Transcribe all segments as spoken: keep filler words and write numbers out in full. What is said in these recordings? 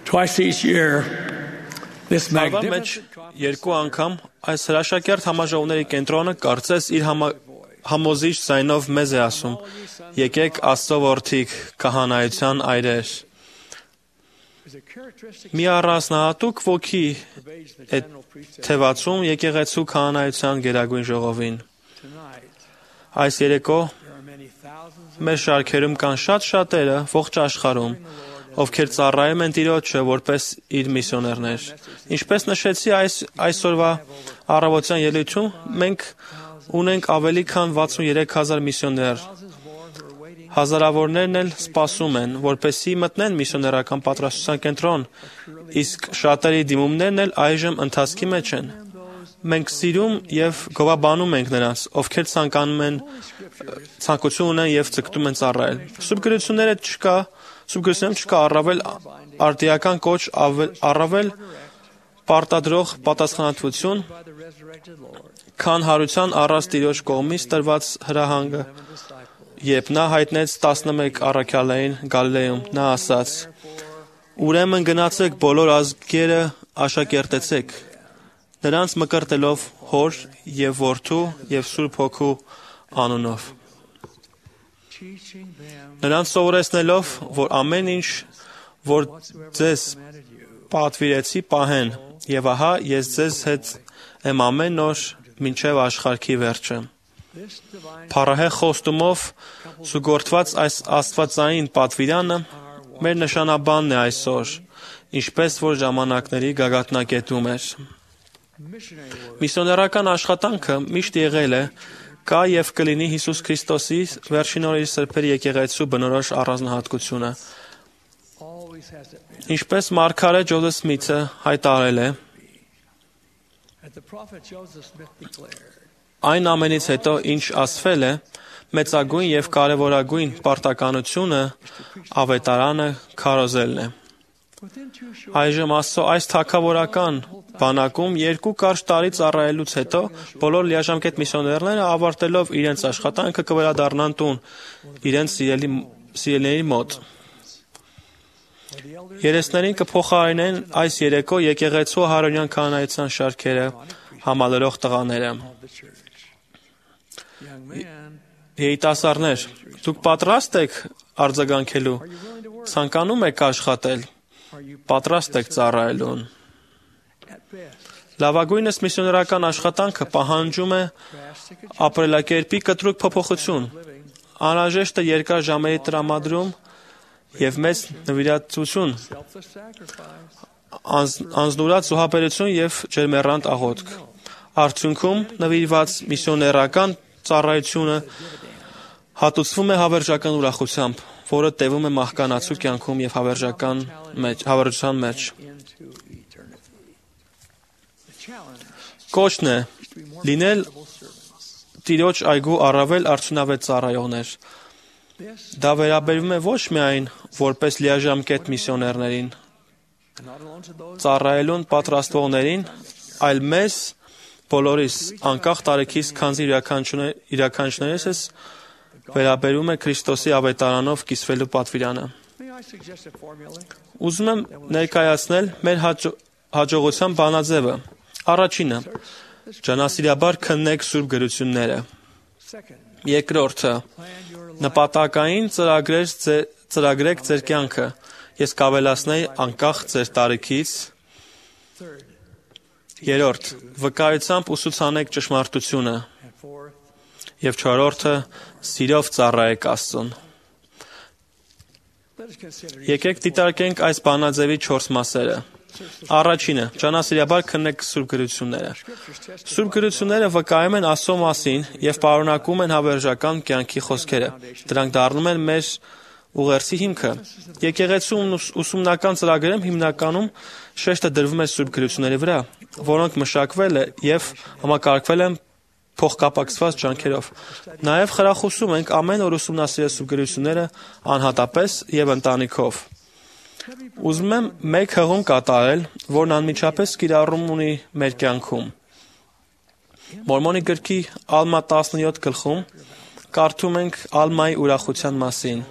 Twice each year, this Տարվա մեջ magnificent երկու անգամ այս հրաշակերտ համաժողովների կենտրոնը կարծես իր համա, համոզիչ ձայնով մեզ է ասում. եկեք Աստծո որդիք, քահանայության այրեր։ Մի առանձնահատուկ ոգի է թևածում եկեղեցու քահանայության գերագույն ժողովին։ Այս երեկո մեր շարքերում կան շատ շատերը ողջ աշխարհում, ովքեր ծառայում են Տիրոջը որպես իր միսիոներներ։ Ինչպես նշեցի այս այսօրվա առավոտյան ելույթում, մենք ունենք ավելի քան վաթսուներեք հազար միսիոներ։ Հազարավորներն էլ սպասում են, որպեսզի մտնեն միսիոներական պատրաստության կենտրոն, իսկ շատերի դիմումներն էլ այժմ ընթացքի մեջ են։ Մենք սիրում եւ գովաբանում ենք նրանց, ովքեր ցանկանում են ցանկություն ունեն եւ ցկտում են ծառայել։ Սուրբ գրությունները չկա, Սուրբ գրությունում չկա առավել արդիական կոչ, առավել պարտադրող պատասխանատվություն, քան հարության առած Տիրոջ կողմից տրված հրահանգը, երբ նա հայտնեց տասնմեկ առաքյալներին Գալիլեյում, նա ասաց. «Ուրեմն գնացեք բոլոր ազգերը աշակերտեցեք, նրանց մկրտելով Հոր եւ Որդու եւ Սուրբ Հոգու անունով, նրանց սովորեցնելով, որ ամեն ինչ, որ ձեզ պատվիրեցի, պահեն, եւ ահա ես ձեզ հետ եմ ամեն օր մինչև աշխարհի վերջը»։ Փառահեղ խոստումով զուգորդված այս աստվածային պատվիրանը մեր նշանաբանն է այսօր, ինչպես որ ժամանակների գագաթնակետում էր։ Միսիոներական աշխատանքը միշտ եղել է, կա եւ կլինի Հիսուս Քրիստոսի վերջին օրերի սրբերի եկեղեցու բնորոշ առանձնահատկությունը։ Ինչպես մարգարե Ջոզեֆ Սմիթը հայտարարել է, այն ամենից հետո, ինչ ասվել է, մեծագույն եւ կարեւորագույն պարտականությունը ավետարանը քարոզելն է։ Այժմ Աստծո այս թագավորական բանակում երկու կարճ տարի ծառայելուց հետո բոլոր լիաժամկետ միսիոներները ավարտելով իրենց աշխատանքը կվերադառնան տուն, իրենց սիրելի սիրելիների մոտ։ Երեսներին կփոխարինեն այս երեկո եկեղեցու հարոնյան քահանայության շարքերը համալրող տղաները։ Երիտասարդներ, դուք պատրաստ եք արձագանքելու, ցանկանում եք աշխատել, պատրաստ եք ծառայելուն։ Լավագույնս միսիոներական աշխատանքը պահանջում է ապրելակերպի կտրուկ փոփոխություն, անհրաժեշտ է երկար ժամերի տրամադրում եւ մեծ նվիրատվություն, անձնուրաց զոհաբերություն եւ ջերմեռանդ աղոթք։ Արդյունքում նվիրված միսիոներական ծառայությունը հատուցվում է հավերժական ուրախությամբ, որը տևում է մահկանացու կյանքում եւ հավերժական մեջ, հավերժության մեջ։ Կոչն է լինել Տիրոջ այգու առավել արդյունավետ ծառայողներ։ Դա վերաբերվում է ոչ միայն որպես լիաժամկետ միսիոներներին, ծառայելուն պատրաստվողներին, այլ մեզ բոլորիս, անկախ տարիքից, քանզի յուրաքանչյուրներս վերաբերում է Քրիստոսի ավետարանով կիսվելու պատվիրանը։ Ուզում եմ ներկայացնել մեր հաջո, հաջողության բանաձևը։ Առաջինը՝ ջանասիրաբար քննեք Սուրբ գրությունները։ Երկրորդը՝ նպատակային ծրագրեր ծրագրեք ձեր կյանքը։ Ես կավելացնեի անկախ ձեր տարիքից։ Երրորդ՝ վկայությամբ ուսուցանեք ճշմարտությունը։ Եվ չորրորդը՝ սիրով ծառայեք Աստծուն։ Եկեք դիտարկենք այս բանաձևի չորս մասերը։ Առաջինը՝ ջանասիրաբար քննեք Սուրբ գրությունները։ Սուրբ գրությունները վկայում են Աստծո մասին եւ պարունակում են հավերժական կյանքի խոսքերը։ Դրանք դառնում են մեր ուղերձի հիմքը։ Եկեղեցու ուսումնական ծրագրերում հիմնականում շեշտը դրվում է Սուրբ գրությունների վրա, որոնք մշակվել եւ համակարգվել են փոխկապակցված ջանքերով։ Նաեւ խրախուսում ենք ամեն օր ուսումնասիրել Սուրբ գրությունները անհատապես եւ ընտանիքով։ Ուզում եմ մեկ հղում կատարել, որն անմիջապես կիրառում ունի մեր կյանքում։ Մորմոնի գրքի Ալմա տասնյոթ գլխում կարդում ենք Ալմայի ուրախության մասին։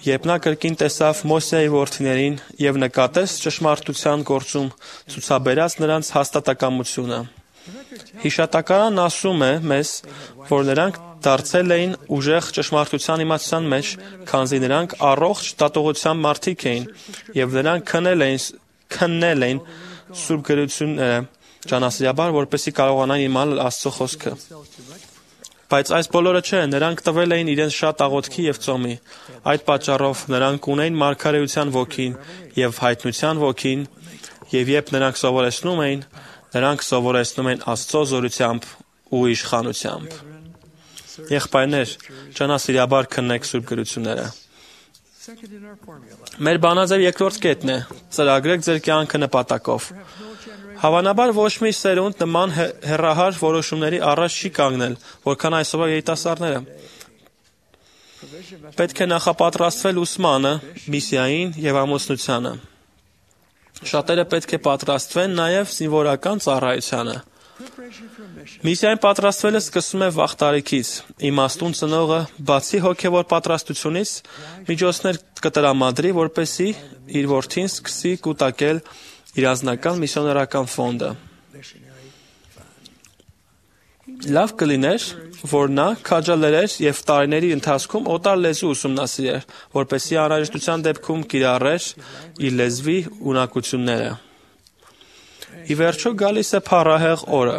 Երբ նա կրկին տեսավ Մոսեի որդիներին եւ նկատեց ճշմարտության գործում ցուցաբերած նրանց հաստատակամությունը։ Հիշատակարանն ասում է մեզ, որ նրանք դարձել էին ուժեղ ճշմարտության իմացության մեջ, քանզի նրանք առողջ դատողության մարդիկ էին եւ նրանք քնել էին քննել էին սուրբ գրությունները ճանասիրաբար, որպեսզի կարողանան իմանալ Աստծո խոսքը։ Բայց այս բոլորը չէ, նրանք տվել էին իրենց շատ աղոթքի եւ ծոմի։ Այդ պատճառով նրանք ունեին մարգարեության ոգին եւ հայտնության ոգին, եւ երբ նրանք սովորեցնում էին, նրանք սովորեցնում են Աստծո զորությամբ ու իշխանությամբ։ Եղբայրներ, ճանասիրաբար քննեք սուրբ գրությունները։ Մեր բանաձև երկրորդ կետն է. ծրագրեք ձեր կյանքը նպատակով։ Հավանաբար ոչ մի սերունդ նման հեռահար որոշումների առաջ չի կանգնել, որքան այսօրվա երիտասարդները։ Պետք է նախապատրաստվել ուսմանը, միսիային եւ ամուսնությանը։ Շատերը պետք է պատրաստվեն նաեւ զինվորական ծառայությանը։ Միսիային պատրաստվելը սկսվում է վաղ տարիքից։ Իմաստուն ծնողը, բացի հոգևոր պատրաստությունից, միջոցներ կտրամադրի, որպեսզի իր որդին սկսի կուտակել իր անձնական միսիոներական ֆոնդը։ Լավ կլիներ, որ նա քաջալերեր եւ տարիների ընթացքում օտար լեզու ուսումնասիրեր, որպեսզի անհրաժեշտության դեպքում կիրառեր իր լեզվի ունակությունները։ Ի վերջո գալիս է փառահեղ օրը,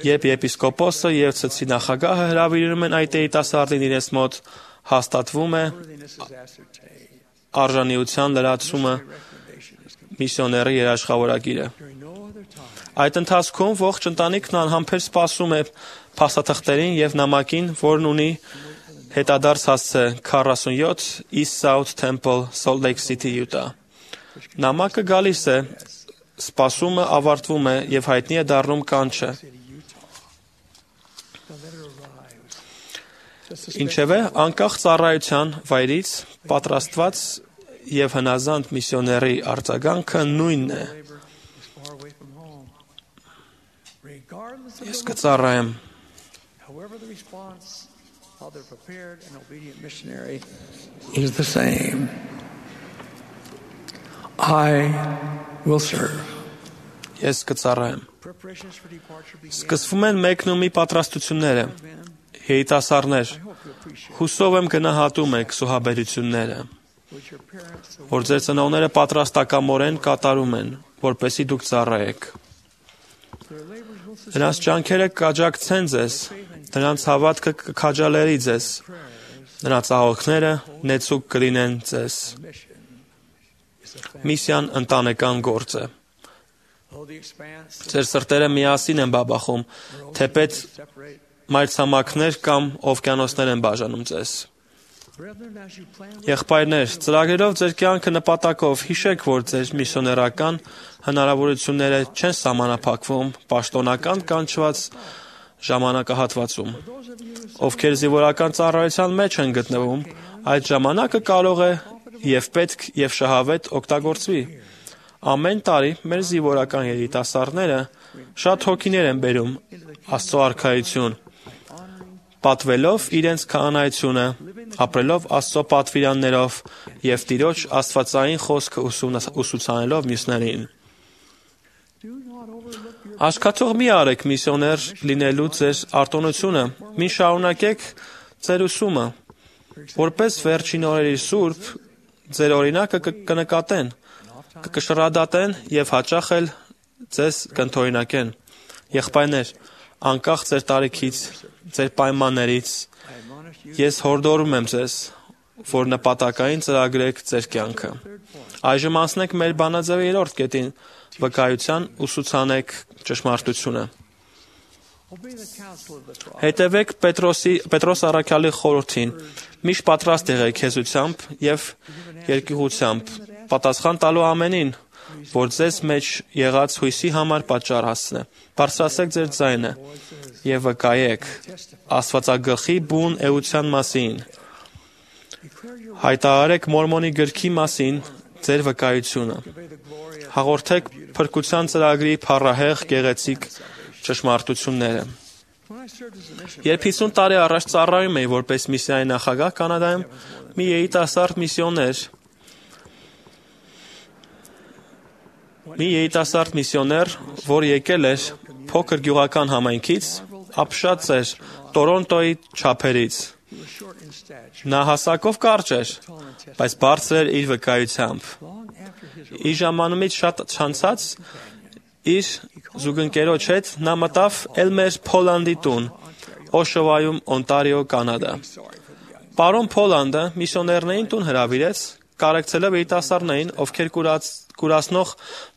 երբ եպիսկոպոսը եւ ցցի նախագահը հրավիրում են այդ երիտասարդին իրենց մոտ, հաստատվում է արժանիության լրացումը միսիոների երաշխավորագիրը։ Այդ ընթացքում ողջ ընտանիքն անհամբեր սպասում է փաստաթղթերին եւ նամակին, որն ունի հետադարձ հասցե քառասունյոթ East South Temple, Salt Lake City, Utah։ Նամակը գալիս է, սպասումը ավարտվում է եւ հայտնի է դառնում կանչը։ Ինչևէ, անկախ ծառայության վայրից պատրաստված եւ հնազանդ միսիոների արձագանքը նույնն է։ Ես կծառայեմ։ Is the same. I will serve. Ես կծառայեմ։ Սկսվում են մեկնումի պատրաստությունները։ Երիտասարդներ, հուսով եմ գնահատում եք սուհաբերությունները, որ ձեր ծնողները պատրաստակամորեն կատարում են, որպեսզի դուք ծառայեք։ Նրանց ջանքերը կաջակցեն ձեզ, նրանց հավատքը կքաջալերի ձեզ, նրանց աղոթքները նեցուկ կլինեն ձեզ։ Միսիան ընտանեկան գործ է։ Ձեր սրտերը միասին են բաբախում, թեպետ մայրցամաքներ կամ օվկիանոսներ են բաժանում ձեզ։ Եղբայրներ, ծրագրերով ձեր կյանքը նպատակով հիշեք, որ ձեր միսիոներական հնարավորությունները չեն սահմանափակվում պաշտոնական կանչված ժամանակահատվածում։ Ովքեր զինվորական ծառայության մեջ են գտնվում, այդ ժամանակը կարող է եւ պետք եւ շահավետ օգտագործվի։ Ամեն տարի մեր զինվորական երիտասարդները շատ հոգիներ են բերում Աստծո արքայություն, պատվելով իրենց քահանայությունը, ապրելով Աստծո պատվիրաններով եւ Տիրոջ աստվածային խոսքը ուսուցանելով մյուսներին։ Աշկացող մի արեք միսիոներ լինելու ձեր արտոնությունը, մի շարունակեք ձեր ուսումը, որպես վերջին օրերի սուրբ ձեր օրինակը կնկատեն, կկշռադատեն եւ հաճախ էլ ձեզ կընդօրինակեն։ Եղբայրներ, անկախ ձեր տարիքից, ձեր պայմաններից, ես հորդորում եմ ձեզ, որ նպատակային ծրագրեք ձեր կյանքը։ Այժմ անցնենք մեր բանաձևի երրորդ կետին, վկայության ուսուցանեք ճշմարտությունը։ Հետևեք Պետրոսի Պետրոս առաքյալի խորհրդին, միշտ պատրաստ եղեք հեզությամբ եւ երկյուղությամբ, պատասխան տալու ամենին, որ ձեզ մեջ եղած հույսի համար պատճառ հասցնե։ Բարձրացրեք ձեր ձայնը եւ վկայեք Աստվածագլխի բուն էության մասին։ Հայտարարեք Մորմոնի գրքի մասին ձեր վկայությունը։ Հաղորդեք փրկության ծրագրի փառահեղ գեղեցիկ ճշմարտությունները։ Երբ հիսուն տարի առաջ ծառայում էի որպես միսիայի նախագահ Կանադայում, մի երիտասարդ միսիոներ մի երիտասարդ միսիոներ, որ եկել էր փոքր գյուղական համայնքից, ապշած էր Տորոնտոյի չափերից։ Նա հասակով կարճ էր, բայց բարձր էր իր վկայությամբ։ Իր ժամանումից շատ չանցած իր զուգընկերոջ հետ նա մտավ Էլմեր Փոլանդի տուն, Օշովայում, Օնտարիո, Կանադա։ Պարոն Փոլանդը միսիոներներին տուն հրավիրեց, կարեկցելով երիտասարդներին, ովքեր կուրացնող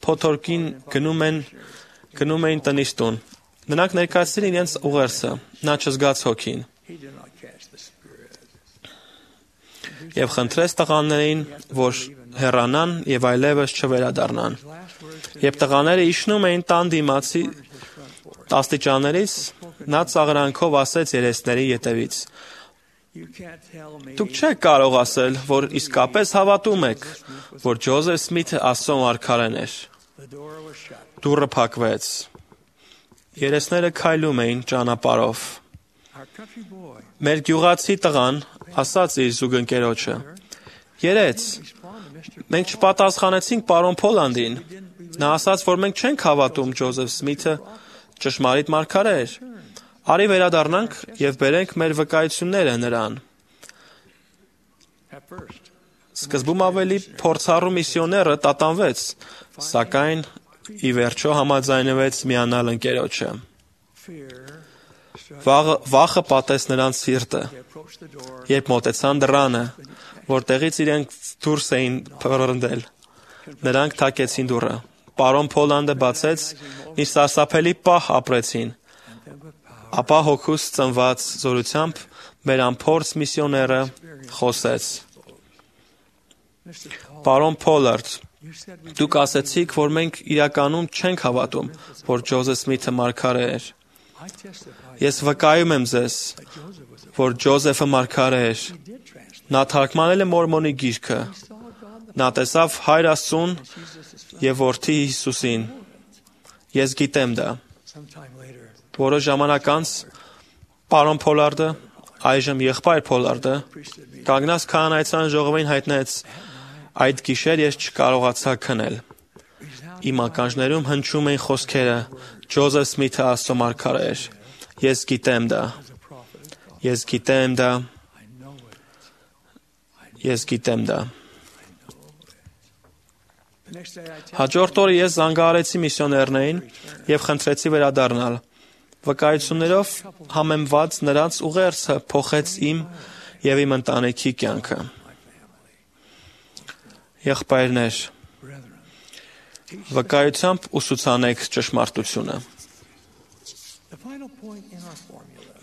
փոթորկին գնում են գնում էին տնից տուն։ Նրանք ներկայացրին իրենց ուղերձը, նա չզգաց հոգին։ Եվ խնդրեց տղաներին, որ հեռանան եւ այլևս չվերադառնան։ Երբ տղաները իջնում էին տան դիմացի աստիճաններից, նա ծաղրանքով ասեց երեսների ետևից. Դուք չեք կարող ասել, որ իսկապես հավատում եք, որ Ջոզեֆ Սմիթը Աստծո մարգարեն էր։ Դուռը փակվեց։ Երեսները քայլում էին ճանապարհով։ Մեր գյուղացի տղան ասաց իր զուգընկերոջը. Երեց, մենք չպատասխանեցինք պարոն Փոլանդին։ Նա ասաց, որ մենք չենք հավատում Ջոզեֆ Սմիթը ճշմարիտ մարգարե էր։ Արի վերադառնանք եւ բերենք մեր վկայությունները նրան։ Սկզբում ավելի փորձառու միսիոները տատանվեց, սակայն ի վերջո համաձայնվեց միանալ ընկերոջը։ Վաղը, վախը պատեց նրանց սիրտը, երբ մոտեցան դռանը, որտեղից իրենք դուրս էին փռնդել։ Նրանք թակեցին դուռը։ Պարոն Փոլանդը բացեց, մի սարսափելի պահ ապրեցին։ Ապա հոգուց ծնված զորությամբ մեր անփորձ միսիոները խոսեց. Պարոն Փոլարդ, դուք ասեցիք, որ մենք իրականում չենք հավատում, որ Ջոզեֆ Սմիթը մարգարե էր։ Ես վկայում եմ ձեզ, որ Ջոզեֆը մարգարե էր։ Նա թարգմանել է Մորմոնի գիրքը։ Նա տեսավ Հայր Աստծուն եւ Որդի Հիսուսին։ Ես գիտեմ դա։ Որոշ ժամանակ անց պարոն Փոլարդը, այժմ եղբայր Փոլարդը, կանգնած քահանայության ժողովին հայտնեց. այդ գիշեր ես չկարողացա քնել։ Իմ ականջներում հնչում էին խոսքերը. Ջոզեֆ Սմիթը Աստծո մարգարե էր։ Ես գիտեմ դա։ Ես գիտեմ դա։ Ես գիտեմ դա։ Հաջորդ օրը ես զանգահարեցի միսիոներներին եւ խնդրեցի վերադառնալ։ Վկայություններով համեմված նրանց ուղերձը փոխեց իմ եւ իմ ընտանիքի կյանքը։ Եղբայրներ, վկայությամբ ուսուցանեք ճշմարտությունը։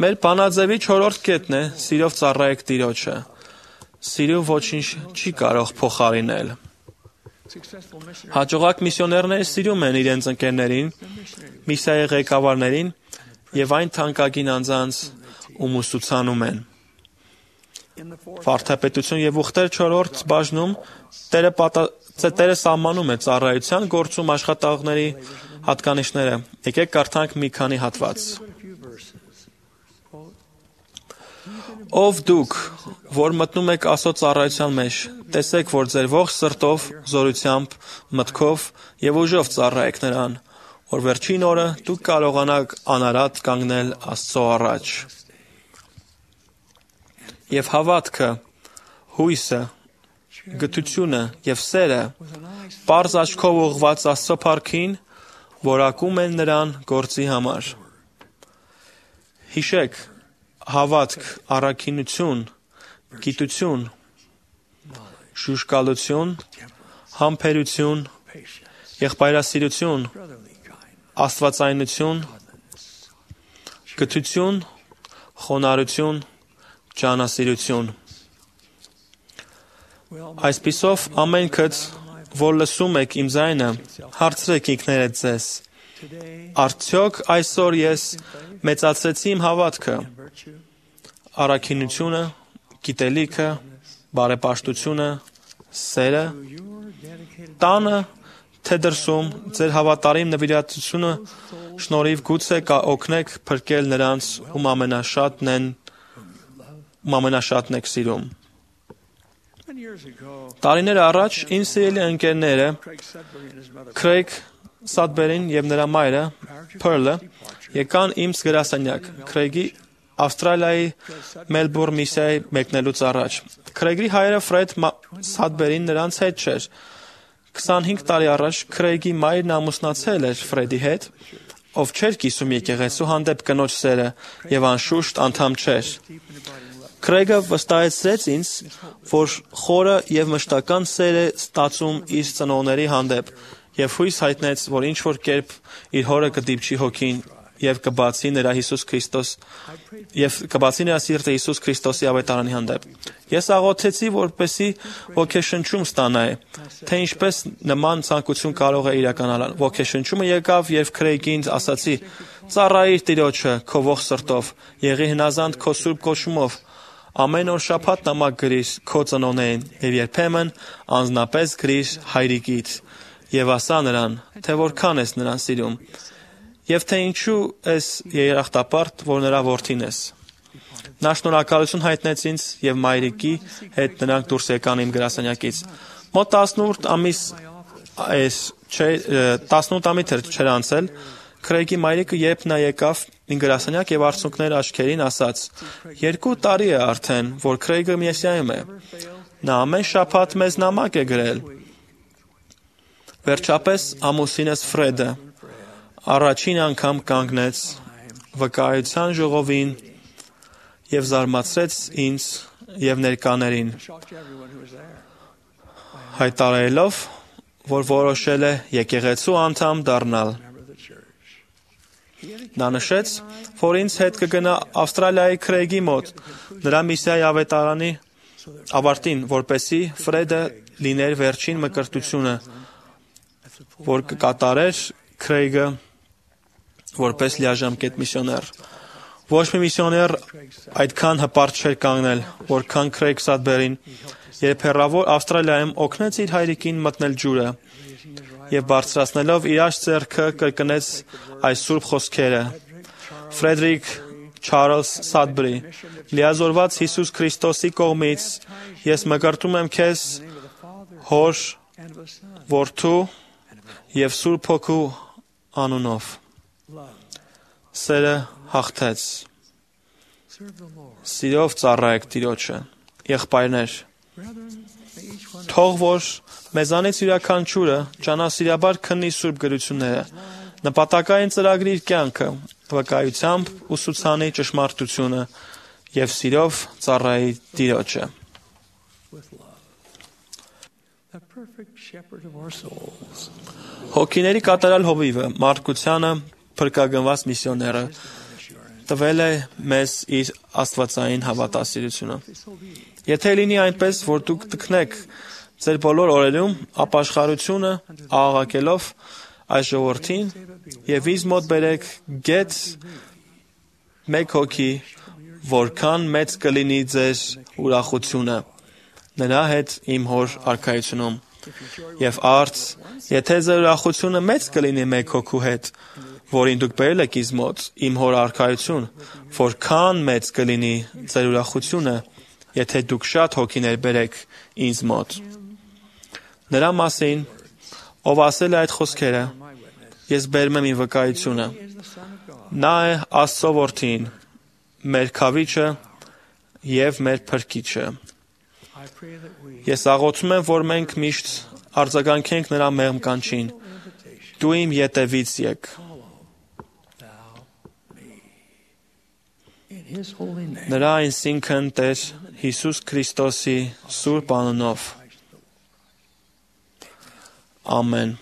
Մեր բանաձևի չորրորդ կետն է սիրով ծառայեք Տիրոջը։ Սիրուն ոչինչ չի կարող փոխարինել։ Հաջողակ միսիոներները սիրում են իրենց ընկերներին, միսիայի ղեկավարներին եւ այն թանկագին անձանց, ում ուսուցանում են։ Վարդապետություն եւ ուխտեր չորրորդ բաժնում Տերը պատա... Տերը սահմանում է ծառայության գործում աշխատողների հատկանիշները։ Եկեք կարդանք մի քանի հատված։ Ով դուք, որ մտնում եք Աստծո ծառայության մեջ, տեսեք, որ ձեր ողջ սրտով, զորությամբ, մտքով եւ ուժով ծառայեք նրան, որ վերջին օրը դուք կարողանաք անարատ կանգնել Աստծո առաջ։ Եվ հավատքը, հույսը, գթությունը եւ սերը պարզ աչքով ուղղված Աստծո փառքին, որակում են նրան գործի համար։ Հիշեք, հավատք, առաքինություն, գիտություն, շուշկալություն, համբերություն, եղբայրասիրություն, աստվածայնություն, գթություն, խոնարհություն, ջանասիրություն։ Այսպիսով ամենքդ, որ լսում եք իմ ձայնը, հարցրեք ինքներդ ձեզ. արդյոք այսօր ես մեծացրեցի իմ հավատքը, առաքինությունը, գիտելիքը, բարեպաշտությունը, սերը, տանը, թե դրսում, ձեր հավատարիմ նվիրատվությունը շնորհիվ գուցե կօգնեք փրկել նրանց, ում ամենաշատն են, ում ամենաշատն եք սիրում։ Տարիներ առաջ իմ սիրելի ընկերները Քրեյգ Սադբերին եւ նրա մայրը Փըրլը եկան իմ գրասենյակ Քրեյգի Ավստրալիայի Մելբուրն միսիայի մեկնելուց առաջ։ Քրեյգի հայրը Ֆրեդ Սադբերին նրանց հետ չէր։ քսանհինգ տարի առաջ Քրեյգի մայրն ամուսնացել էր Ֆրեդի հետ, ով չէր կիսում եկեղեցու հանդեպ կնոջ սերը եւ անշուշտ անդամ չէր։ Քրեյգը վստահեցրեց ինձ, որ խորը եւ մշտական սեր է ստացում իր ծնողների հանդեպ եւ հույս հայտնեց, որ ինչ որ կերպ իր հորը կդիպչի հոգին եւ կբացի նրա Հիսուս Քրիստոս եւ կբացի նրա սիրտը Հիսուս Քրիստոսի ավետարանի հանդեպ։ Ես աղոթեցի, որպեսզի ոգեշնչում ստանայի, թե ինչպես նման ցանկություն կարող է իրականանալ։ Ոգեշնչումը եկավ եւ Քրեյգին ասացի. «Ծառայիր Տիրոջը քո ողջ սրտով, եղի հնազանդ քո սուրբ կոչումով, ամեն օր շաբաթ նամակ գրիր քո ծնողներին եւ երբեմն անձնապես գրիր հայրիկիդ եւ ասա նրան, թե որքան ես նրան սիրում եւ թե ինչու ես երախտապարտ, որ նրա որդին ես»։ Նա շնորհակալություն հայտնեց ինձ եւ մայրիկի հետ նրանք դուրս եկան իմ գրասենյակից։ Մոտ տասնութ ամիս այս տասնութ ամիս չէր անցել, Քրեյգի մայրիկը երբ նա եկավ իմ գրասենյակ եւ արցունքներ աչքերին ասաց. «Երկու տարի է արդեն, որ Քրեյգը մեսիայում է։ Նա ամեն շաբաթ մեզ նամակ է գրել»։ Վերջապես ամուսինս Ֆրեդը առաջին անգամ կանգնեց վկայության ժողովին եւ զարմացրեց ինձ եւ ներկաներին, հայտարարելով, որ որոշել է եկեղեցու անդամ դառնալ։ Նա նշեց, որ ինձ հետ կգնա Ավստրալիայի Քրեյգի մոտ, նրա միսիայի ավետարանի ավարտին, որպեսզի Ֆրեդը լիներ վերջին մկրտությունը, որ կկատարեր Քրեյգը որպես լիաժամկետ միսիոներ։ Ոչ մի միսիոներ այդքան հպարտ չէր կանգնել, որքան Քրեյգ Սադբերին, երբ հեռավոր Ավստրալիայում օգնեց իր հայրիկին մտնել ջուրը եւ բարձրացնելով իր աջ ձեռքը կրկնեց այս սուրբ խոսքերը. Ֆրեդերիկ Չարլզ Սադբերի, լիազորված Հիսուս Քրիստոսի կողմից, ես մկրտում եմ քեզ Հոր, Որդու եւ Սուրբ Հոգու անունով։ Սերը հաղթեց։ Սիրով ծառայեք Տիրոջը։ Եղբայրներ, թող որ մեզանից յուրաքանչյուրը ճանասիրաբար քննի սուրբ գրությունները, նպատակային ծրագրի իր կյանքը, վկայությամբ ուսուցանի ճշմարտությունը եւ սիրով ծառայի Տիրոջը։ Հոգիների կատարյալ հովիվը Մարկությանը փրկագնված միսիոները տվել է մեզ իր աստվածային հավատասիրությունը։ Եթե լինի այնպես, որ դուք տքնեք ձեր բոլոր օրերում ապաշխարությունը աղաղակելով այս ժողովրդին եւ ինձ մոտ բերեք գետ մեկ հոգի, որքան մեծ կլինի ձեր ուրախությունը նրա հետ իմ հոր արքայությունում։ Եվ արդ, եթե ձեր ուրախությունը մեծ կլինի մեկ հոգու հետ, որին դուք բերել եք ինձ մոտ, իմ հոր արքայություն, որքան մեծ կլինի ձեր ուրախությունը, եթե դուք շատ հոգիներ բերեք ինձ մոտ։ Նրա մասին, ով ասել է այդ խոսքերը, ես բերում եմ իմ վկայությունը։ Նա է Աստծո որդին, մեր քավիչը եւ մեր փրկիչը։ Ես աղոթում եմ, որ մենք միշտ արձագանքենք նրա մեղմ կանչին. դու իմ ետևից եկ։ Նրա այսինքն Տեր Հիսուս Քրիստոսի սուրբ անունով։ Ամեն։